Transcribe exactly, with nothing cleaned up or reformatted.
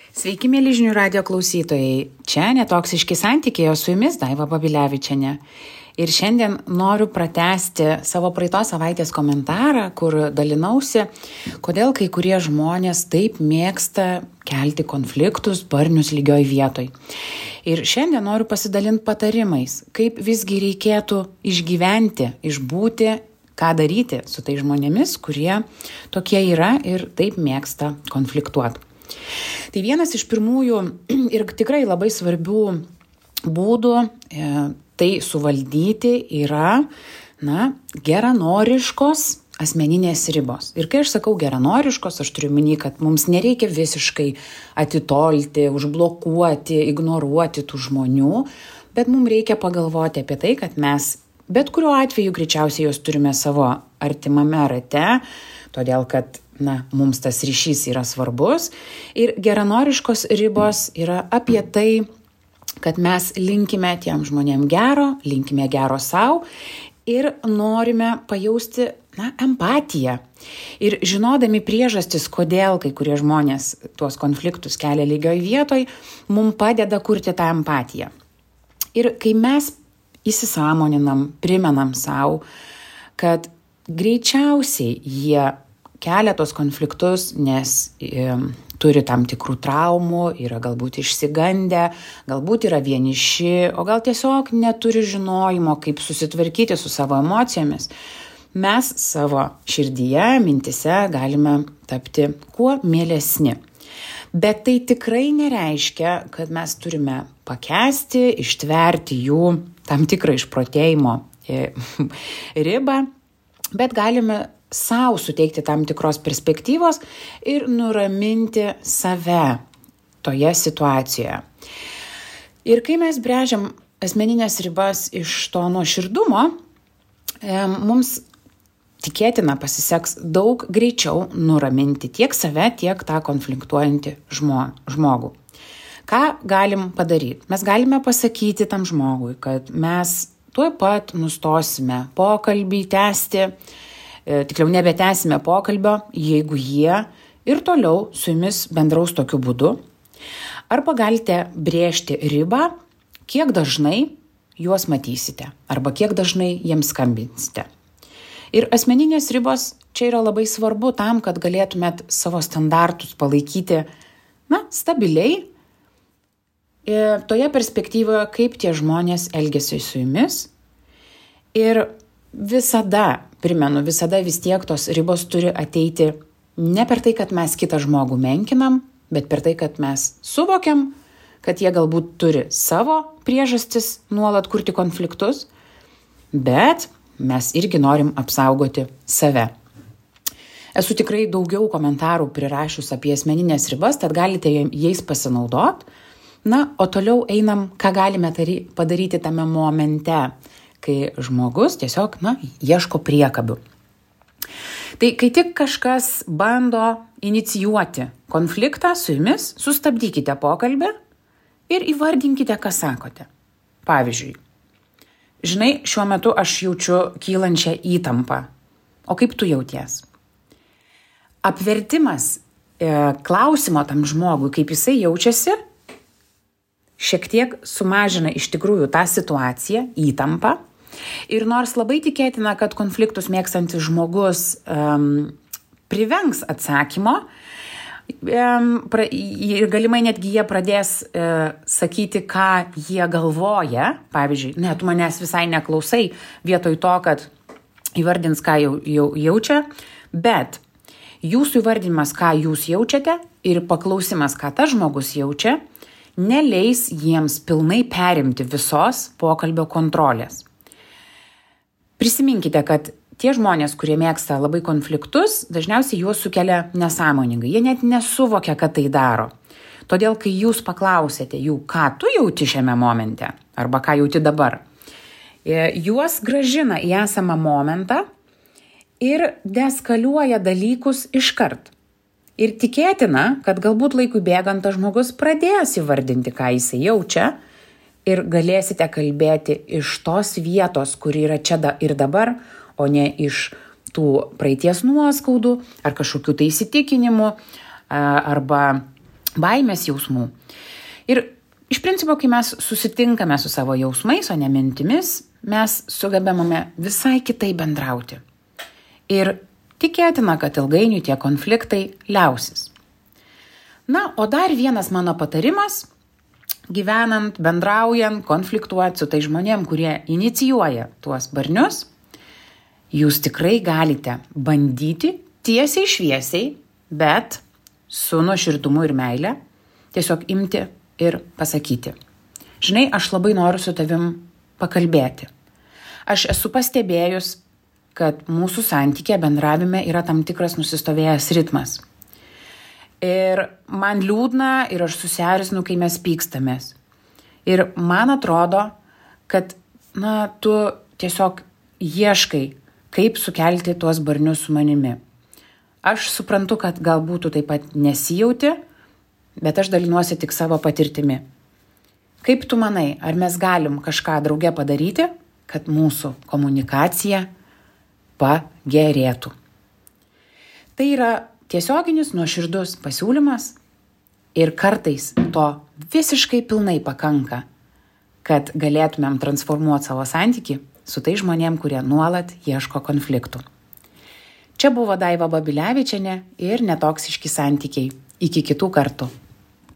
Sveiki, mėly žinių radijo klausytojai. Čia Netoksiški santykiai, o su jumis Daiva Babilevičienė. Ir šiandien noriu pratęsti savo praeitos savaitės komentarą, kur dalinausi, kodėl kai kurie žmonės taip mėgsta kelti konfliktus barnius lygioj vietoj. Ir šiandien noriu pasidalinti patarimais, kaip visgi reikėtų išgyventi, išbūti, ką daryti su tais žmonėmis, kurie tokie yra ir taip mėgsta konfliktuoti. Tai vienas iš pirmųjų ir tikrai labai svarbių būdų e, tai suvaldyti yra na, geranoriškos asmeninės ribos. Ir kai aš sakau geranoriškos, aš turiu minį, kad mums nereikia visiškai atitolti, užblokuoti, ignoruoti tų žmonių, bet mums reikia pagalvoti apie tai, kad mes bet kuriuo atveju greičiausiai jos turime savo artimame rate, todėl kad na, mums tas ryšys yra svarbus. Ir geranoriškos ribos yra apie tai, kad mes linkime tiem žmonėm gero, linkime gero savo ir norime pajausti na, empatiją. Ir žinodami priežastis, kodėl kai kurie žmonės tuos konfliktus kelia lygioj vietoj, mums padeda kurti tą empatiją. Ir kai mes įsisąmoninam, primenam savo, kad greičiausiai jie kelia tos konfliktus, nes e, turi tam tikrų traumų, yra galbūt išsigandę, galbūt yra vieniši, o gal tiesiog neturi žinojimo, kaip susitvarkyti su savo emocijomis. Mes savo širdyje, mintise galime tapti kuo mielesni. Bet tai tikrai nereiškia, kad mes turime pakęsti, ištverti jų tam tikrą išprotėjimo e, ribą, bet galime sau suteikti tam tikros perspektyvos ir nuraminti save toje situacijoje. Ir kai mes brėžiam asmeninės ribas iš to nuoširdumo, mums tikėtina pasiseks daug greičiau nuraminti tiek save, tiek tą konfliktuojantį žmogų. Ką galim padaryti? Mes galime pasakyti tam žmogui, kad mes tuoj pat nustosime pokalbį tęsti, tikriau nebetęsime pokalbio, jeigu jie ir toliau su jumis bendraus tokiu būdu. Arba galite brėžti ribą, kiek dažnai juos matysite, arba kiek dažnai jiems skambinsite. Ir asmeninės ribos čia yra labai svarbu tam, kad galėtumėt savo standartus palaikyti na, stabiliai, toje perspektyvoje, kaip tie žmonės elgiasi su jumis. Ir visada, primenu, visada vis tiek tos ribos turi ateiti ne per tai, kad mes kitą žmogų menkinam, bet per tai, kad mes suvokiam, kad jie galbūt turi savo priežastis nuolat kurti konfliktus, bet mes irgi norim apsaugoti save. Esu tikrai daugiau komentarų prirašius apie asmeninės ribas, tad galite jais pasinaudoti. Na, o toliau einam, ką galime padaryti tame momente, kai žmogus tiesiog, na, ieško priekabių. Tai kai tik kažkas bando inicijuoti konfliktą su jumis, sustabdykite pokalbį ir įvardinkite, ką sakote. Pavyzdžiui, žinai, šiuo metu aš jaučiu kylančią įtampą. O kaip tu jauties? Apvertimas e, klausimo tam žmogui, kaip jisai jaučiasi, šiek tiek sumažina iš tikrųjų tą situaciją, įtampą. Ir nors labai tikėtina, kad konfliktus mėgstantis žmogus um, privengs atsakymo, um, pra, ir galimai netgi jie pradės uh, sakyti, ką jie galvoja. Pavyzdžiui, ne, tu manęs visai neklausai, vietoj to, kad įvardins, ką jau, jau jaučia, bet jūsų įvardinimas, ką jūs jaučiate ir paklausimas, ką tas žmogus jaučia, neleis jiems pilnai perimti visos pokalbio kontrolės. Prisiminkite, kad tie žmonės, kurie mėgsta labai konfliktus, dažniausiai juos sukelia nesąmoningai. Jie net nesuvokia, kad tai daro. Todėl, kai jūs paklausėte jų, ką tu jauti šiame momente, arba ką jauti dabar, juos grąžina į esamą momentą ir deeskaliuoja dalykus iškart. Ir tikėtina, kad galbūt laikui bėgant tas žmogus pradės įvardinti, ką jisai jaučia ir galėsite kalbėti iš tos vietos, kuri yra čia ir dabar, o ne iš tų praeities nuoskaudų ar kažkokių tai įsitikinimų arba baimės jausmų. Ir iš principo, kai mes susitinkame su savo jausmais, o ne mintimis, mes sugebame visai kitai bendrauti. Ir tikėtina, kad ilgainiui tie konfliktai liausis. Na, o dar vienas mano patarimas, gyvenant, bendraujant, konfliktuoti su tai žmonėm, kurie inicijuoja tuos barnius, jūs tikrai galite bandyti tiesiai šviesiai, bet su nuoširdumu ir meile, tiesiog imti ir pasakyti. Žinai, aš labai noriu su tavim pakalbėti. Aš esu pastebėjus, kad mūsų santykė bendravime yra tam tikras nusistovėjęs ritmas. Ir man liūdna ir aš susierzinu, kai mes pykstamės. Ir man atrodo, kad na, tu tiesiog ieškai, kaip sukelti tuos barnius su manimi. Aš suprantu, kad galbūt tu taip pat nesijauti, bet aš dalinuosi tik savo patirtimi. Kaip tu manai, ar mes galim kažką drauge padaryti, kad mūsų komunikacija pagerėtų? Tai yra tiesioginis nuoširdus pasiūlymas ir kartais to visiškai pilnai pakanka, kad galėtumėm transformuoti savo santykį su tai žmonėm, kurie nuolat ieško konfliktų. Čia buvo Daiva Babilevičienė ir Netoksiški santykiai. Iki kitų kartų.